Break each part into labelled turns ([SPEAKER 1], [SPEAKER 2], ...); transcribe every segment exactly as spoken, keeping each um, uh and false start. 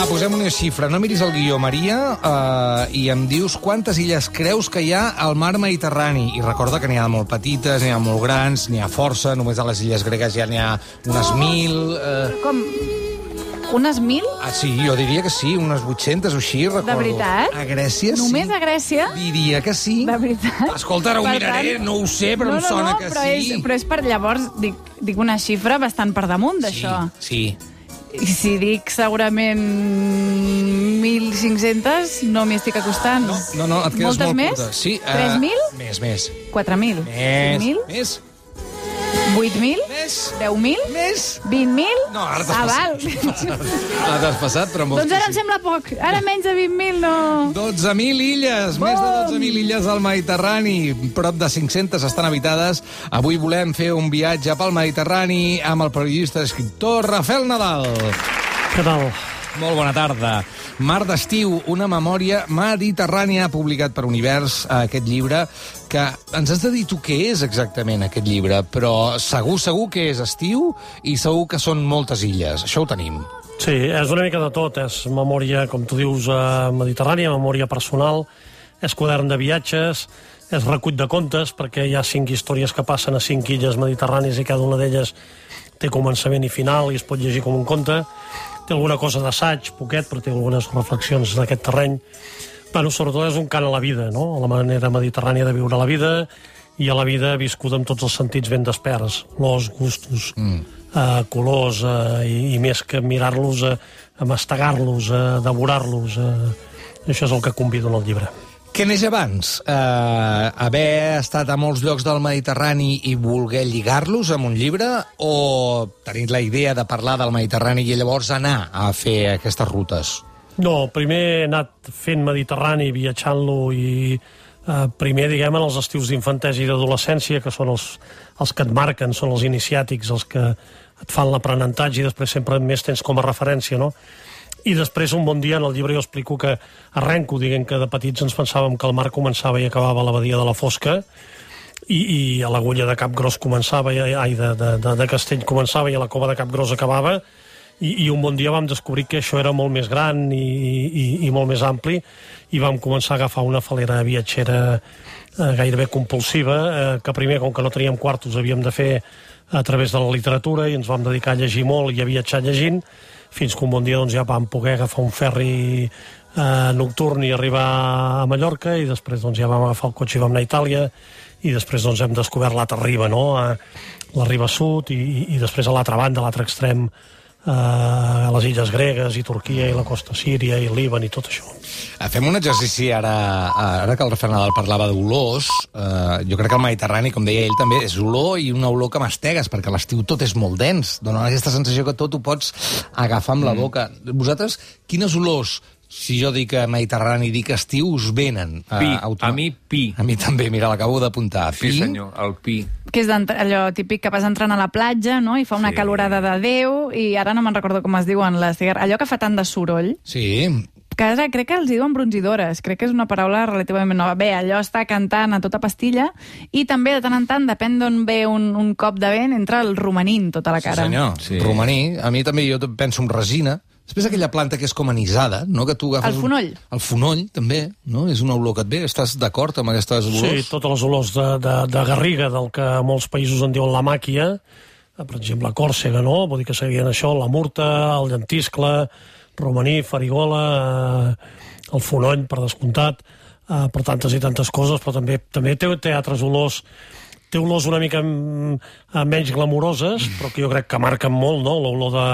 [SPEAKER 1] posem una xifra. No miris el guió, Maria, uh, i em dius quantes illes creus que hi ha al mar Mediterrani. I recorda que n'hi ha molt petites, n'hi ha molt grans, n'hi ha força, només a les illes gregues ja n'hi ha unes mil... Uh...
[SPEAKER 2] Com? Unes mil?
[SPEAKER 1] Ah, sí, jo diria que sí, unes vuit-centes o així, recordo.
[SPEAKER 2] De veritat?
[SPEAKER 1] A Grècia, sí.
[SPEAKER 2] Només a Grècia?
[SPEAKER 1] Diria que sí.
[SPEAKER 2] De veritat?
[SPEAKER 1] Escolta, ara ho
[SPEAKER 2] Per
[SPEAKER 1] miraré,
[SPEAKER 2] tant...
[SPEAKER 1] no ho sé, però
[SPEAKER 2] no,
[SPEAKER 1] em sona
[SPEAKER 2] no, no,
[SPEAKER 1] que
[SPEAKER 2] però
[SPEAKER 1] sí.
[SPEAKER 2] És, però és per llavors, dic, dic una xifra bastant per damunt d'això.
[SPEAKER 1] Sí, sí.
[SPEAKER 2] I si dic segurament mil cinc-centes, no m'hi estic acostant.
[SPEAKER 1] No, no, no, et quedes
[SPEAKER 2] Moltes
[SPEAKER 1] molt
[SPEAKER 2] més?
[SPEAKER 1] curta. Sí,
[SPEAKER 2] tres mil?
[SPEAKER 1] Uh, més, més.
[SPEAKER 2] quatre mil?
[SPEAKER 1] Més,
[SPEAKER 2] cinc mil?
[SPEAKER 1] més.
[SPEAKER 2] vuit mil?
[SPEAKER 1] Més.
[SPEAKER 2] deu mil?
[SPEAKER 1] Més.
[SPEAKER 2] vint mil?
[SPEAKER 1] No, ara t'has
[SPEAKER 2] ah,
[SPEAKER 1] passat.
[SPEAKER 2] val.
[SPEAKER 1] Ara t'has passat, però molts
[SPEAKER 2] Doncs ara em sembla poc. Ara menys de vint mil no...
[SPEAKER 1] dotze mil illes,
[SPEAKER 2] Bom!
[SPEAKER 1] més de dotze mil illes al Mediterrani, prop de cinc-centes estan habitades. Avui volem fer un viatge pel Mediterrani amb el periodista i escriptor Rafael Nadal.
[SPEAKER 3] Què tal?
[SPEAKER 1] Molt bona tarda. Mar d'estiu, una memòria mediterrània, publicat per Univers, aquest llibre, que ens has de dir tu què és exactament aquest llibre, però segur, segur que és estiu i segur que són moltes illes. Això ho tenim.
[SPEAKER 3] Sí, és una mica de tot. És memòria, com tu dius, eh, mediterrània, memòria personal, és quadern de viatges, és recull de contes, perquè hi ha cinc històries que passen a cinc illes mediterrànies i cada una d'elles té començament i final i es pot llegir com un conte. Té alguna cosa d'assaig, poquet, però té algunes reflexions d'aquest terreny. Bueno, sobretot és un cant a la vida, no? A la manera mediterrània de viure la vida i a la vida viscuda amb tots els sentits ben desperts. Olors, gustos, mm. eh, colors, eh, i, i més que mirar-los, eh, a mastegar-los, a devorar-los. Eh, això és el que convido en el llibre.
[SPEAKER 1] Què neix abans? Uh, haver estat a molts llocs del Mediterrani i voler lligar-los amb un llibre, o tenir la idea de parlar del Mediterrani i llavors anar a fer aquestes rutes?
[SPEAKER 3] No, primer he anat fent Mediterrani, viatjant-lo i eh, primer, diguem, en els estius d'infantesa i d'adolescència, que són els, els que et marquen, són els iniciàtics, els que et fan l'aprenentatge i després sempre més tens com a referència, no? I després, un bon dia, en el llibre jo explico que arrenco, diguem que de petits ens pensàvem que el mar començava i acabava a la badia de la Fosca, i, i a l'agulla de Capgròs començava, i, ai, de, de, de, de Castell començava i a la cova de Capgròs acabava, i, i un bon dia vam descobrir que això era molt més gran i, i, i molt més ampli, i vam començar a agafar una falera viatgera eh, gairebé compulsiva, eh, que primer, com que no teníem quartos, havíem de fer a través de la literatura, i ens vam dedicar a llegir molt i a viatjar llegint, fins que un bon dia doncs, ja vam poder agafar un ferri eh, nocturn i arribar a Mallorca, i després doncs, ja vam agafar el cotxe i vam anar a Itàlia, i després doncs, hem descobert l'altra riba, no? a la riba sud, i, i després a l'altra banda, a l'altre extrem, eh, a les illes gregues, i Turquia, i la costa síria, i Líban, i tot això.
[SPEAKER 1] Fem un exercici ara, ara que el Rafael Nadal parlava d'olors. Eh, jo crec que el Mediterrani, com deia ell, també és olor, i una olor que mastegues, perquè a l'estiu tot és molt dens. Dóna aquesta sensació que tot ho pots agafar amb la boca. Mm. Vosaltres, quines olors, si jo dic Mediterrani, dic estiu, us venen?
[SPEAKER 4] Pi,
[SPEAKER 1] a,
[SPEAKER 4] a mi pi.
[SPEAKER 1] A mi també, mira, l'acabo d'apuntar.
[SPEAKER 4] Sí, senyor, el pi.
[SPEAKER 2] Que és allò típic que vas entrant a la platja, no?, i fa una
[SPEAKER 4] Sí.
[SPEAKER 2] calorada de Déu, i ara no me'n recordo com es diuen, les cigar... allò que fa tant de soroll,
[SPEAKER 1] Sí.
[SPEAKER 2] que ara crec que els diuen bronzidores, crec que és una paraula relativament nova. Bé, allò està cantant a tota pastilla, i també de tant en tant, depèn d'on ve un, un cop de vent, entra el romanint tota la cara.
[SPEAKER 1] Sí, senyor.
[SPEAKER 4] Sí.
[SPEAKER 1] Romaní. A mi també jo penso en resina. Després aquella planta que és com anisada, no? Que tu agafes
[SPEAKER 2] El fonoll.
[SPEAKER 1] Un... El fonoll, també, no? És una olor que et ve. Estàs d'acord amb aquestes olors?
[SPEAKER 3] Sí, totes les olors de, de, de garriga, del que a molts països en diuen la màquia, per exemple, Còrsega, no? Vull dir que seguien això, la murta, el llentiscle, romaní, farigola, eh, el fonoll, per descomptat, eh, per tantes i tantes coses, però també també té, té altres olors, té olors una mica mm, menys glamuroses, però que jo crec que marquen molt, no? L'olor de,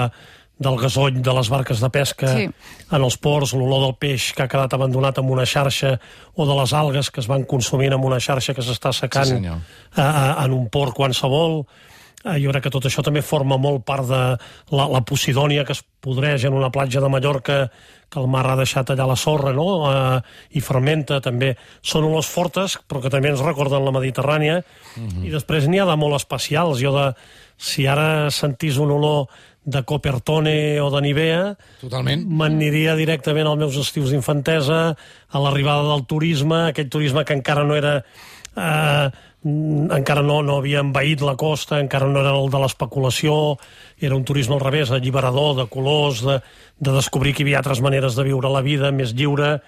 [SPEAKER 3] del gasoll de les barques de pesca
[SPEAKER 2] Sí.
[SPEAKER 3] en els ports, l'olor del peix que ha quedat abandonat en una xarxa, o de les algues que es van consumint en una xarxa que s'està secant
[SPEAKER 1] Sí,
[SPEAKER 3] sí, en un port qualsevol. Eh, jo crec que tot això també forma molt part de la, la posidònia que es podreix en una platja de Mallorca, que el mar ha deixat allà la sorra, no? Eh, i fermenta també. Són olors fortes, però que també ens recorden la Mediterrània, mm-hmm. i després n'hi ha de molt especials. Jo de, si ara sentís un olor de Copertone o de Nivea,
[SPEAKER 1] Totalment.
[SPEAKER 3] m'aniria directament als meus estius d'infantesa, a l'arribada del turisme, aquell turisme que encara no era eh, encara no, no havia envaït la costa, encara no era el de l'especulació, era un turisme al revés, alliberador, de colors, de, de descobrir que hi havia altres maneres de viure la vida, més lliure,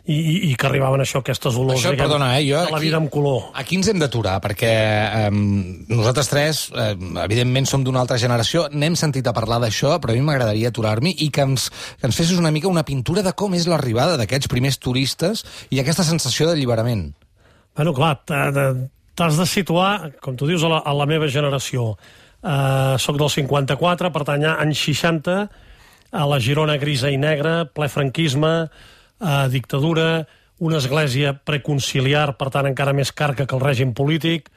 [SPEAKER 3] i, i, i que arribaven això, aquestes olors,
[SPEAKER 1] això,
[SPEAKER 3] diguem,
[SPEAKER 1] perdona, eh, jo
[SPEAKER 3] de la
[SPEAKER 1] aquí,
[SPEAKER 3] vida amb color.
[SPEAKER 1] Aquí ens hem d'aturar, perquè eh, nosaltres tres, eh, evidentment, som d'una altra generació, n'hem sentit a parlar d'això, però a mi m'agradaria aturar-m'hi i que ens, que ens fessis una mica una pintura de com és l'arribada d'aquests primers turistes i aquesta sensació d'alliberament.
[SPEAKER 3] Bueno, clar, t'has de situar, com tu dius, a la, a la meva generació. Uh, soc del cinquanta-quatre, pertany a anys seixanta, a la Girona grisa i negra, ple franquisme, uh, dictadura, una església preconciliar, per tant encara més carca que el règim polític,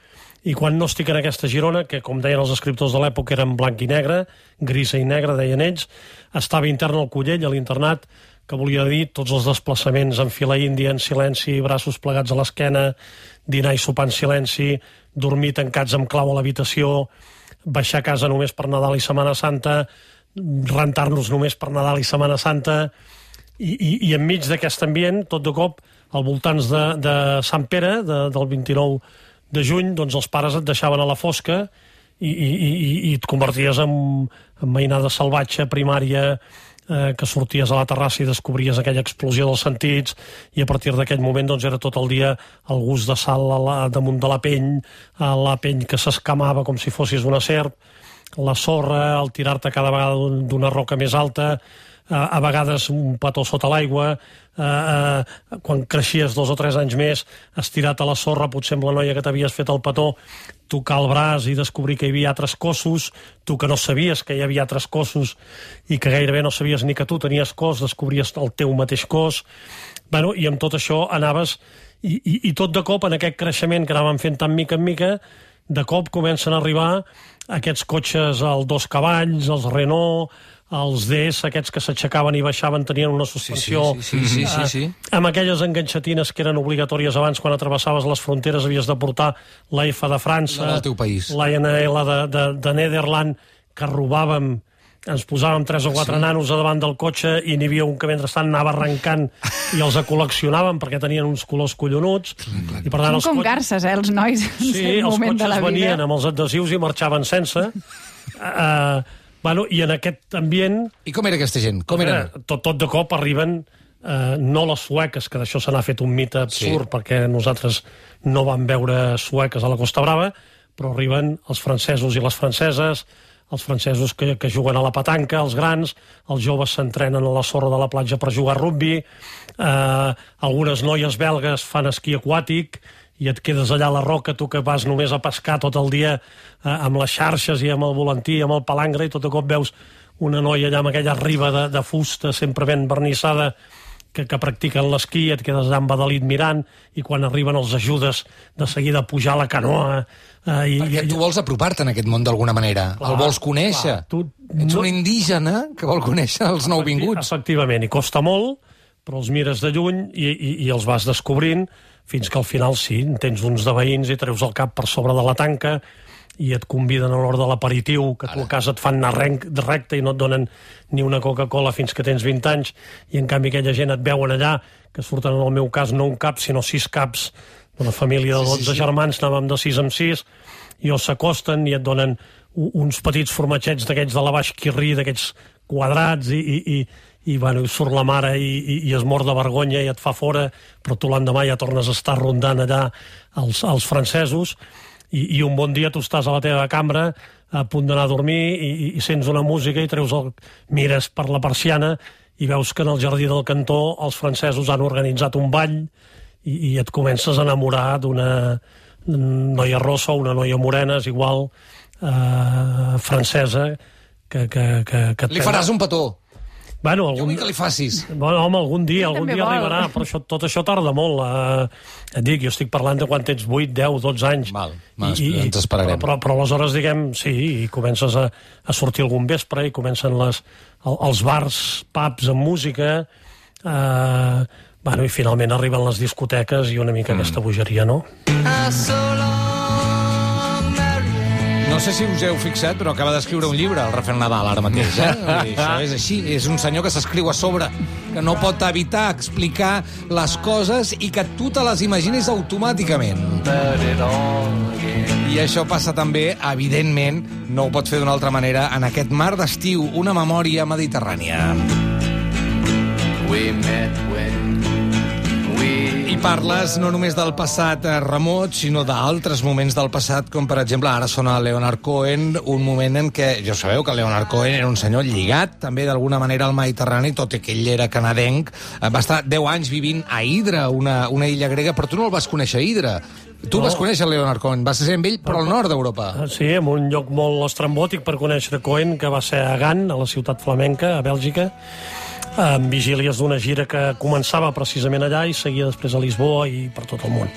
[SPEAKER 3] i quan no estic en aquesta Girona, que com deien els escriptors de l'època eren blanc i negre, grisa i negra, deien ells, estava intern al Collell, a l'internat, que volia dir tots els desplaçaments en fila índia, en silenci, braços plegats a l'esquena, dinar i sopar en silenci, dormir tancats amb clau a l'habitació, baixar a casa només per Nadal i Setmana Santa, rentar-nos només per Nadal i Setmana Santa, i, i, i enmig d'aquest ambient, tot de cop, al voltants de, de Sant Pere, de, del vint-i-nou de juny, doncs els pares et deixaven a la fosca i, i, i, i et converties en, en mainada salvatge, primària, eh, que sorties a la terrassa i descobries aquella explosió dels sentits, i a partir d'aquell moment doncs, era tot el dia el gust de sal a la, damunt de la pell, a la pell que s'escamava com si fossis una serp, la sorra, el tirar-te cada vegada d'una roca més alta, a vegades un petó sota l'aigua, eh, eh, quan creixies dos o tres anys més, estirat a la sorra, potser amb la noia que t'havies fet el petó, tocar el braç i descobrir que hi havia altres cossos, tu que no sabies que hi havia altres cossos i que gairebé no sabies ni que tu tenies cos, descobries el teu mateix cos. Bueno, i amb tot això anaves, i, i, i tot de cop, en aquest creixement que anàvem fent tan mica en mica, de cop comencen a arribar aquests cotxes, els dos cavalls, els Renault, els D S, aquests que s'aixecaven i baixaven, tenien una suspensió,
[SPEAKER 1] sí, sí, sí, sí, sí, sí.
[SPEAKER 3] Eh, amb aquelles enganxatines que eren obligatòries abans, quan atravessaves les fronteres havies de portar la F de França,
[SPEAKER 1] no, del teu país,
[SPEAKER 3] la N L de, de, de Nederland, que robàvem, ens posàvem tres o quatre sí. nanos a davant del cotxe i n'hi havia un que mentrestant anava arrencant i els col·leccionàvem perquè tenien uns colors collonuts. I per tant,
[SPEAKER 2] Són
[SPEAKER 3] els
[SPEAKER 2] com
[SPEAKER 3] cotxes...
[SPEAKER 2] garces, eh, els nois, en
[SPEAKER 3] sí,
[SPEAKER 2] cert moment de la vida. Sí, els cotxes
[SPEAKER 3] venien amb els adhesius i marxaven sense. Uh, bueno, i en aquest ambient...
[SPEAKER 1] I com era aquesta gent? Com era?
[SPEAKER 3] Tot, tot de cop arriben, uh, no les sueques, que d'això se n'ha fet un mite absurd, sí. perquè nosaltres no vam veure sueques a la Costa Brava, però arriben els francesos i les franceses, els francesos que, que juguen a la petanca, els grans, els joves s'entrenen a la sorra de la platja per jugar a rugbi, eh, algunes noies belgues fan esquí aquàtic i et quedes allà a la roca, tu que vas només a pescar tot el dia eh, amb les xarxes i amb el volantí, amb el palangre, i tot de cop veus una noia allà amb aquella riba de, de fusta sempre ben vernissada que, que practiquen l'esquí, et quedes allà embadalit mirant, i quan arriben els ajudes de seguida a pujar a la canoa.
[SPEAKER 1] Eh, i, Perquè tu vols apropar-te en aquest món d'alguna manera, clar, el vols conèixer. Clar, tu, Ets no... un indígena que vol conèixer els Efecti nouvinguts.
[SPEAKER 3] Efectivament, i costa molt, però els mires de lluny i, i, i els vas descobrint, fins que al final sí, tens uns de veïns i treus el cap per sobre de la tanca i et conviden a l'hora de l'aperitiu, que tu a casa et fan anar recte i no et donen ni una Coca-Cola fins que tens vint anys, i en canvi aquella gent et veuen allà, que surten en el meu cas no un cap, sinó sis caps, una família de dotze sí, sí, sí. germans, anàvem de sis en sis, i els s'acosten i et donen uns petits formatgets d'aquests de la Baix Quirrí, d'aquests quadrats, i, i, i, i, bueno, surt la mare i, i, i es mor de vergonya i et fa fora, però tu l'endemà ja tornes a estar rondant allà els, els francesos, i, i un bon dia tu estàs a la teva cambra a punt d'anar a dormir i, i sents una música i treus el, mires per la persiana i veus que en el jardí del cantó els francesos han organitzat un ball i, i et comences a enamorar d'una noia rossa o una noia morena, és igual, eh, francesa, que, que, que, que
[SPEAKER 1] li faràs un petó.
[SPEAKER 3] Bueno, algun...
[SPEAKER 1] Jo vull que li facis.
[SPEAKER 3] Bueno, home, algun dia, algun dia arribarà, però això, tot això tarda molt. Eh, et dic, jo estic parlant de quan tens vuit, deu, dotze anys.
[SPEAKER 1] Val, mal,
[SPEAKER 3] I,
[SPEAKER 1] ens esperarem.
[SPEAKER 3] Però, però, però aleshores, diguem, sí, i comences a, a sortir algun vespre i comencen les, el, els bars, pubs amb música, eh, bueno, i finalment arriben les discoteques i una mica mm. aquesta bogeria, no?
[SPEAKER 1] No No sé si us heu fixat, però acaba d'escriure un llibre, el Rafael Nadal, ara mateix, eh? I això és així, és un senyor que s'escriu a sobre, que no pot evitar explicar les coses i que tu te les imagines automàticament. I això passa també, evidentment, no ho pot fer d'una altra manera, en aquest mar d'estiu, una memòria mediterrània. We met when I parles no només del passat remot, sinó d'altres moments del passat, com per exemple ara sona Leonard Cohen, un moment en què, ja sabeu que Leonard Cohen era un senyor lligat també d'alguna manera al Mediterrani, tot i que ell era canadenc, va estar deu anys vivint a Hydra, una, una illa grega, però tu no el vas conèixer a Hydra. Tu no. Vas conèixer Leonard Cohen, vas ser amb ell, però al nord d'Europa.
[SPEAKER 3] Sí, en un lloc molt estrambòtic per conèixer Cohen, que va ser a Gant, a la ciutat flamenca, a Bèlgica, amb vigílies d'una gira que començava precisament allà i seguia després a Lisboa i per tot el món.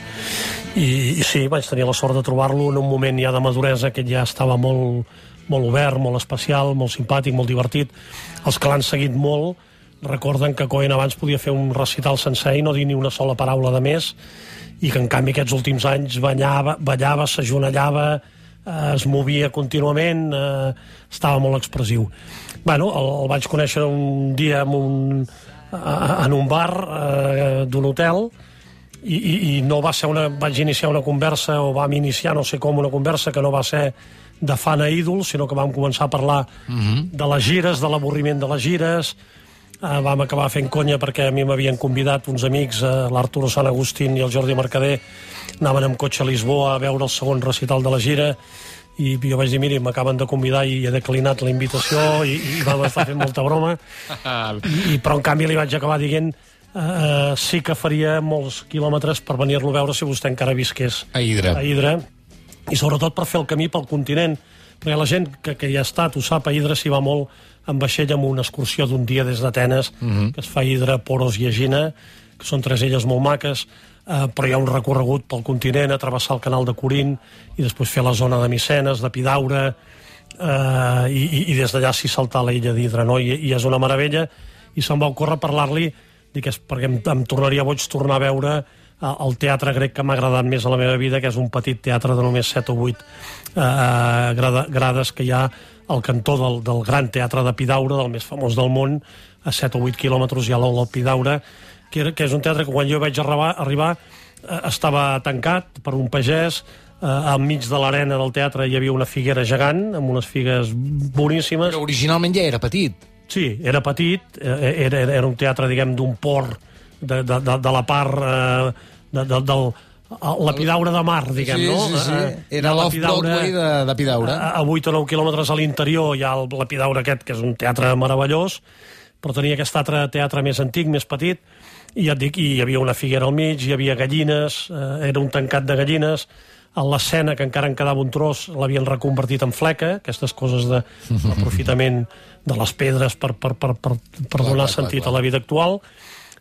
[SPEAKER 3] I, i sí, vaig tenir la sort de trobar-lo en un moment ja de maduresa que ja estava molt, molt obert, molt especial, molt simpàtic, molt divertit. Els que l'han seguit molt recorden que Cohen abans podia fer un recital sencer i no dir ni una sola paraula de més, i que en canvi aquests últims anys ballava, ballava s'ajonellava, eh, es movia contínuament, eh, estava molt expressiu. Bueno, el, el vaig conèixer un dia en un, en un bar eh, d'un hotel i, i, i no va ser una... vaig iniciar una conversa, o vam iniciar, no sé com, una conversa que no va ser de fan a ídol, sinó que vam començar a parlar uh-huh. de les gires, de l'avorriment de les gires. Eh, vam acabar fent conya perquè a mi m'havien convidat uns amics, eh, l'Arturo Sant Agustín i el Jordi Mercader, anaven amb cotxe a Lisboa a veure el segon recital de la gira, i jo vaig dir, miri, m'acaben de convidar i he declinat la invitació, i, i vam estar fent molta broma, I, però en canvi li vaig acabar dient eh, sí que faria molts quilòmetres per venir-lo a veure si vostè encara visqués
[SPEAKER 1] a Hydra.
[SPEAKER 3] a Hydra, i sobretot per fer el camí pel continent, perquè la gent que, que hi ha estat ho sap, a Hydra s'hi va molt en vaixell amb una excursió d'un dia des d'Atenes, uh-huh. que es fa a Hydra, Poros i Egina, que són tres illes molt maques. Uh, però hi ha un recorregut pel continent, a travessar el canal de Corint i després fer la zona de Micenes, de Pidaura, uh, i, i, i des d'allà s'hi saltar a la illa d'Hydra, no? I, i és una meravella, i se'm va ocórrer parlar-li, dic, és perquè em, em tornaria boig tornar a veure uh, el teatre grec que m'ha agradat més a la meva vida, que és un petit teatre de només set o vuit uh, grada, grades que hi ha al cantó del, del gran teatre de Pidaura, del més famós del món, a set o vuit quilòmetres hi ha l'Ola Pidaura, que, era, que és un teatre que quan jo vaig arribar, arribar eh, estava tancat per un pagès, eh, al mig de l'arena del teatre hi havia una figuera gegant, amb unes figues boníssimes.
[SPEAKER 1] Però originalment ja era petit.
[SPEAKER 3] Sí, era petit, eh, era, era un teatre, diguem, d'un port de, de, de, de la part eh, de, de, del... la Pidaura de mar, diguem,
[SPEAKER 1] sí,
[SPEAKER 3] no?
[SPEAKER 1] Sí, sí, era l'off-Broadway de, de Pidaura.
[SPEAKER 3] A, a vuit o nou quilòmetres a l'interior hi ha el, la Pidaura aquest, que és un teatre meravellós, però tenia aquest altre teatre més antic, més petit, i ja et dic, hi havia una figuera al mig, hi havia gallines, eh, era un tancat de gallines, a l'escena, que encara en quedava un tros, l'havien reconvertit en fleca, aquestes coses d'aprofitament de les pedres per, per, per, per, per clar, donar clar, sentit clar, clar. a la vida actual,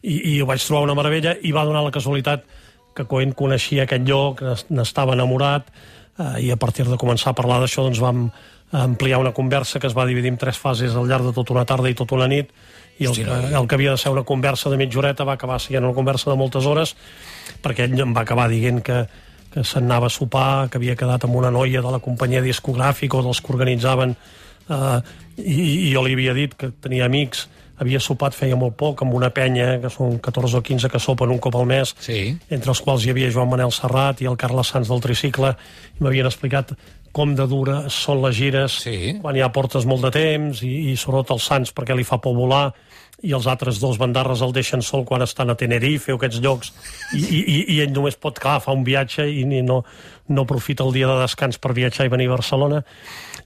[SPEAKER 3] i, i ho vaig trobar una meravella, i va donar la casualitat que Cohen coneixia aquest lloc, n'estava enamorat, eh, i a partir de començar a parlar d'això doncs vam ampliar una conversa que es va dividir en tres fases al llarg de tota una tarda i tota una nit, i el, que, el que havia de ser una conversa de mitja horeta va acabar sent una conversa de moltes hores, perquè ell em va acabar dient que, que se'n anava a sopar, que havia quedat amb una noia de la companyia discogràfica o dels que organitzaven, eh, i, i jo li havia dit que tenia amics, havia sopat feia molt poc amb una penya, que són catorze o quinze que sopen un cop al mes,
[SPEAKER 1] sí.
[SPEAKER 3] entre els quals hi havia Joan Manel Serrat i el Carles Sans del tricicle, i m'havien explicat com de dures són les gires,
[SPEAKER 1] sí.
[SPEAKER 3] quan ja portes molt de temps, i, i sobretot el Sans perquè li fa por volar, i els altres dos bandarres el deixen sol quan estan a Tenerife o aquests llocs, i, i, i ell només pot, clar, fa un viatge i no, no aprofita el dia de descans per viatjar i venir a Barcelona,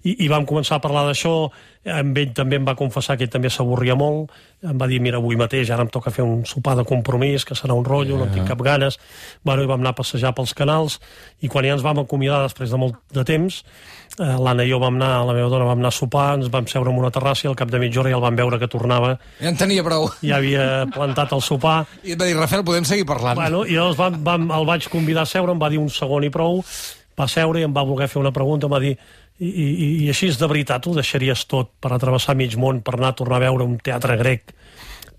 [SPEAKER 3] i, i vam començar a parlar d'això, amb ell també em va confessar que ell també s'avorria molt, em va dir, mira, avui mateix ara em toca fer un sopar de compromís, que serà un rotllo, no tinc cap ganes, bueno, i vam anar a passejar pels canals, i quan ja ens vam acomiadar després de molt de temps, eh, l'Anna i jo vam anar, la meva dona vam anar a sopar, ens vam seure en una terrassa i al cap de mitja hora ja el vam veure que tornava.
[SPEAKER 1] Ja en tenia prou.
[SPEAKER 3] Ja havia plantat el sopar.
[SPEAKER 1] I et va dir, Rafael, podem seguir parlant?
[SPEAKER 3] Bueno, i llavors vam, vam, el vaig convidar a seure, em va dir un segon i prou, va seure i em va voler fer una pregunta, em va dir, i, i, i així és de veritat, ho deixaries tot per atravessar mig món, per anar a tornar a veure un teatre grec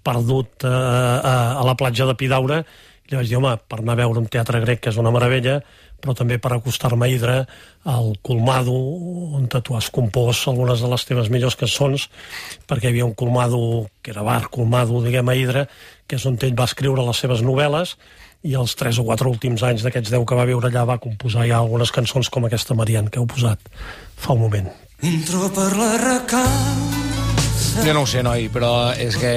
[SPEAKER 3] perdut eh, a, a la platja de Pidaura? I li vaig dir, home, per anar a veure un teatre grec, que és una meravella, però també per acostar-me a Hidra, al Colmado, on tu has compost algunes de les teves millors cançons, perquè hi havia un Colmado, que era bar Colmado, diguem, a Hidra, que és on ell va escriure les seves novel·les, i els tres o quatre últims anys d'aquests deu que va viure allà va composar ja algunes cançons com aquesta Marian, que heu posat fa un moment.
[SPEAKER 4] Entro per la recau.
[SPEAKER 1] Jo no ho sé, noi, però és que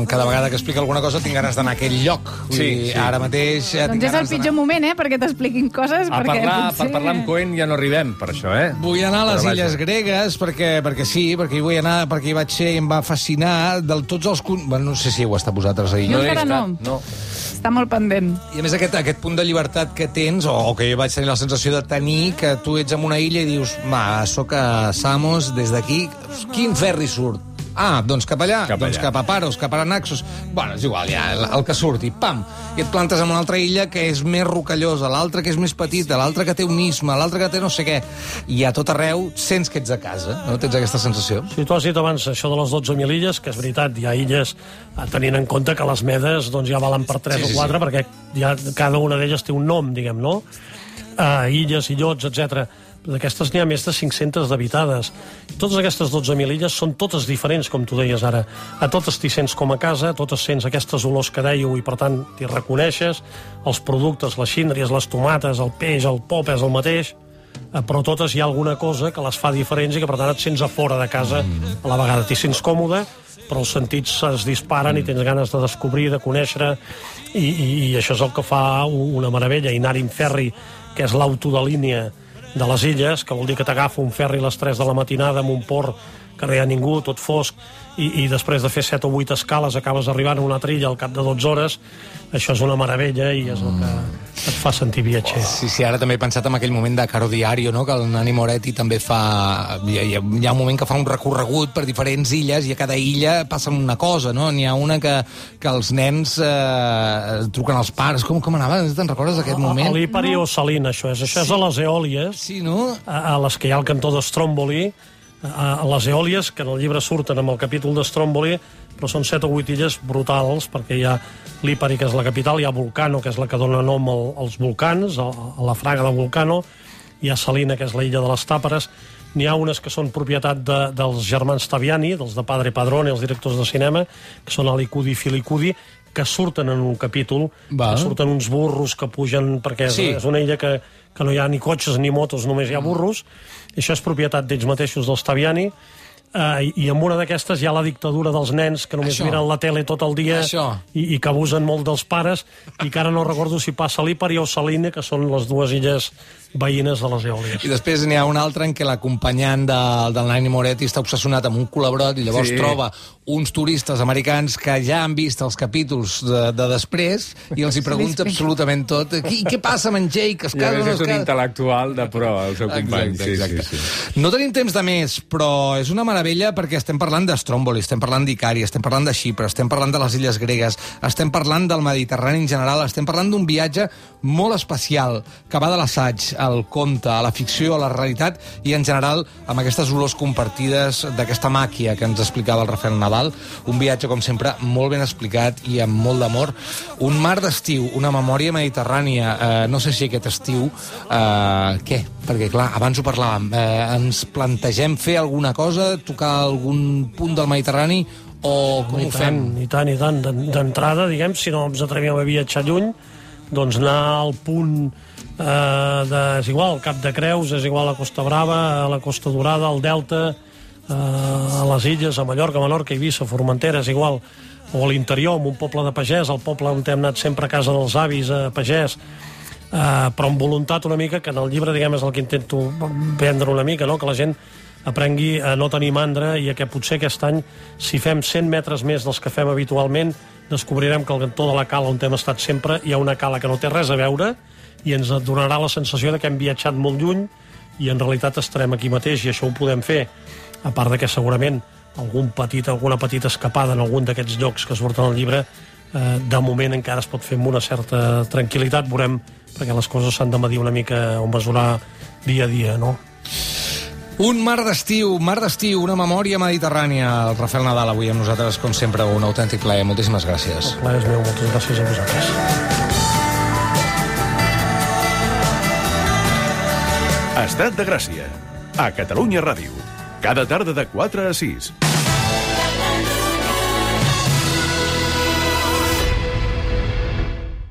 [SPEAKER 1] cada vegada que explica alguna cosa tinc ganes d'anar a aquell lloc. Vull
[SPEAKER 5] Sí,
[SPEAKER 1] dir,
[SPEAKER 5] sí.
[SPEAKER 1] ara mateix... eh, tinc
[SPEAKER 2] Doncs és el
[SPEAKER 1] ganes
[SPEAKER 2] pitjor
[SPEAKER 1] d'anar-
[SPEAKER 2] moment, eh?, perquè t'expliquin coses.
[SPEAKER 5] A
[SPEAKER 2] perquè
[SPEAKER 5] parlar,
[SPEAKER 2] potser...
[SPEAKER 5] per parlar amb Cohen ja no arribem, per això, eh?
[SPEAKER 1] Vull anar a les
[SPEAKER 5] Però vaja.
[SPEAKER 1] Illes Gregues perquè, perquè sí, perquè hi vull anar, perquè hi vaig ser i em va fascinar de tots els... con- Bueno, no sé si heu estat vosaltres ahir.
[SPEAKER 2] Jo
[SPEAKER 5] he
[SPEAKER 2] encara
[SPEAKER 5] estat,
[SPEAKER 2] no.
[SPEAKER 5] no.
[SPEAKER 2] Està molt pendent.
[SPEAKER 1] I a més aquest, aquest punt de llibertat que tens, o, o que jo vaig tenir la sensació de tenir, que tu ets en una illa i dius, va, sóc a Samos, des d'aquí, quin ferri surt? Ah, doncs cap allà,
[SPEAKER 5] Cap
[SPEAKER 1] doncs
[SPEAKER 5] allà.
[SPEAKER 1] cap a Paros, cap a Naxos. Bueno, és igual, ja, el, el que surti, pam. I et plantes en una altra illa que és més rocallosa, l'altra que és més petita, l'altra que té un isme, l'altra que té no sé què. I a tot arreu sents que ets a casa, no? Tens aquesta sensació?
[SPEAKER 3] Si tu has dit abans això de les dotze mil illes, que és veritat, hi ha illes, eh, tenint en compte que les medes doncs, ja valen per tres
[SPEAKER 1] Sí, sí,
[SPEAKER 3] o quatre, perquè ja cada una d'elles té un nom, diguem, no? Uh, illes, illots, etcètera. D'aquestes n'hi ha més de cinc-centes d'habitades. Totes aquestes dotze mil illes són totes diferents, com tu deies ara. A totes t'hi sents com a casa, a totes sents aquestes olors que dèieu i, per tant, t'hi reconeixes. Els productes, les xíndries, les tomates, el peix, el pop és el mateix, eh, però totes hi ha alguna cosa que les fa diferents i que, per tant, et sents a fora de casa. A la vegada t'hi sents còmode, però els sentits es disparen i tens ganes de descobrir, de conèixer, i, i, i això és el que fa una meravella. I anar-hi en ferri, que és l'auto de línia de les illes, que vol dir que t'agafa un ferri a les tres de la matinada amb un port que no hi ha ningú, tot fosc, i, i després de fer set o vuit escales acabes arribant a una altra illa al cap de dotze hores. Això és una meravella i és el que et fa sentir viatger.
[SPEAKER 1] Sí, sí, ara també he pensat en aquell moment de Caro Diario, no? Que el Nani Moretti també fa... Hi ha, hi ha un moment que fa un recorregut per diferents illes i a cada illa passa una cosa, no? N'hi ha una que, que els nens eh, truquen als pares. Com, com anava? Te'n recordes d'aquest moment?
[SPEAKER 3] A l'Hipari o Salina, això és. Això és a les Eòlies,
[SPEAKER 1] Sí, no?
[SPEAKER 3] a, a les que hi ha el cantó d'Stromboli, a, a les Eòlies, que en el llibre surten amb el capítol d'Stromboli, però són set o vuit illes brutals, perquè hi ha l'Hipari, que és la capital, hi ha Vulcano, que és la que dona nom al, als volcans, a, a la fraga de Vulcano, hi ha Salina, que és la illa de les Tàperes, n'hi ha unes que són propietat de, dels germans Taviani, dels de Padre Padrone, els directors de cinema, que són Alicudi i Filicudi, que surten en un capítol,
[SPEAKER 1] Val.
[SPEAKER 3] que surten uns burros que pugen, perquè és,
[SPEAKER 1] Sí.
[SPEAKER 3] és una illa que, que no hi ha ni cotxes ni motos, només hi ha burros, i això és propietat d'ells mateixos, dels Taviani, Uh, i, i en una d'aquestes hi ha la dictadura dels nens que només
[SPEAKER 1] Això.
[SPEAKER 3] miren la tele tot el dia
[SPEAKER 1] Això.
[SPEAKER 3] i, i que abusen molt dels pares, i que ara no recordo si passa a l'Hipari o Salina, que són les dues illes veïnes de les Eòlies.
[SPEAKER 1] I després n'hi ha un altre en què l'acompanyant de, del Nani Moretti està obsessionat amb un colabrot i llavors
[SPEAKER 5] Sí.
[SPEAKER 1] troba uns turistes americans que ja han vist els capítols de, de després i els hi pregunta absolutament tot. I què passa amb en Jake? Es
[SPEAKER 5] Ja
[SPEAKER 1] casa o
[SPEAKER 5] ves,
[SPEAKER 1] no
[SPEAKER 5] és
[SPEAKER 1] es
[SPEAKER 5] un
[SPEAKER 1] casa?
[SPEAKER 5] intel·lectual de pro, el seu company.
[SPEAKER 1] Exacte, exacte.
[SPEAKER 5] Sí, sí, sí.
[SPEAKER 1] No tenim temps de més, però és una meravella perquè estem parlant d'Stromboli, estem parlant d'Icari, estem parlant de Xipre, estem parlant de les Illes Gregues, estem parlant del Mediterrani en general, estem parlant d'un viatge molt especial que va de l'assaig al conte, a la ficció, a la realitat i en general amb aquestes olors compartides d'aquesta màquia que ens explicava el Rafael Nadal. Un viatge, com sempre, molt ben explicat i amb molt d'amor. Un mar d'estiu, una memòria mediterrània. Eh, no sé si aquest estiu... Eh, què? Perquè, clar, abans ho parlàvem. Eh, ens plantegem fer alguna cosa, tocar algun punt del Mediterrani o com
[SPEAKER 3] I
[SPEAKER 1] ho fem?
[SPEAKER 3] tant, i tant, i tant. D'en- D'entrada, diguem, si no ens atrevíem a viatjar lluny, doncs anar al punt eh, de... És igual, al Cap de Creus, és igual a Costa Brava, a la Costa Dorada, al Delta, eh, a les illes, a Mallorca, Menorca, Eivissa, Formentera, és igual, o a l'interior, en un poble de pagès, el poble on hem anat sempre a casa dels avis, a pagès, eh, però amb voluntat una mica, que en el llibre, diguem, és el que intento vendre una mica, no? Que la gent aprengui a no tenir mandra i a que potser aquest any, si fem cent metres més dels que fem habitualment, descobrirem que al cantó de la cala on hem estat sempre hi ha una cala que no té res a veure i ens donarà la sensació de que hem viatjat molt lluny i en realitat estarem aquí mateix, i això ho podem fer, a part de que segurament algun petit, alguna petita escapada en algun d'aquests llocs que surten al llibre, eh, de moment encara es pot fer amb una certa tranquil·litat, veurem, perquè les coses s'han de medir una mica o mesurar dia a dia, no?
[SPEAKER 1] Un mar d'estiu, mar d'estiu, una memòria mediterrània. El Rafael Nadal avui amb nosaltres, com sempre, un autèntic plaer. Moltíssimes gràcies.
[SPEAKER 3] El plaer és meu, moltes gràcies a vosaltres.
[SPEAKER 6] Estat de Gràcia. A Catalunya Ràdio. Cada tarda de quatre a sis.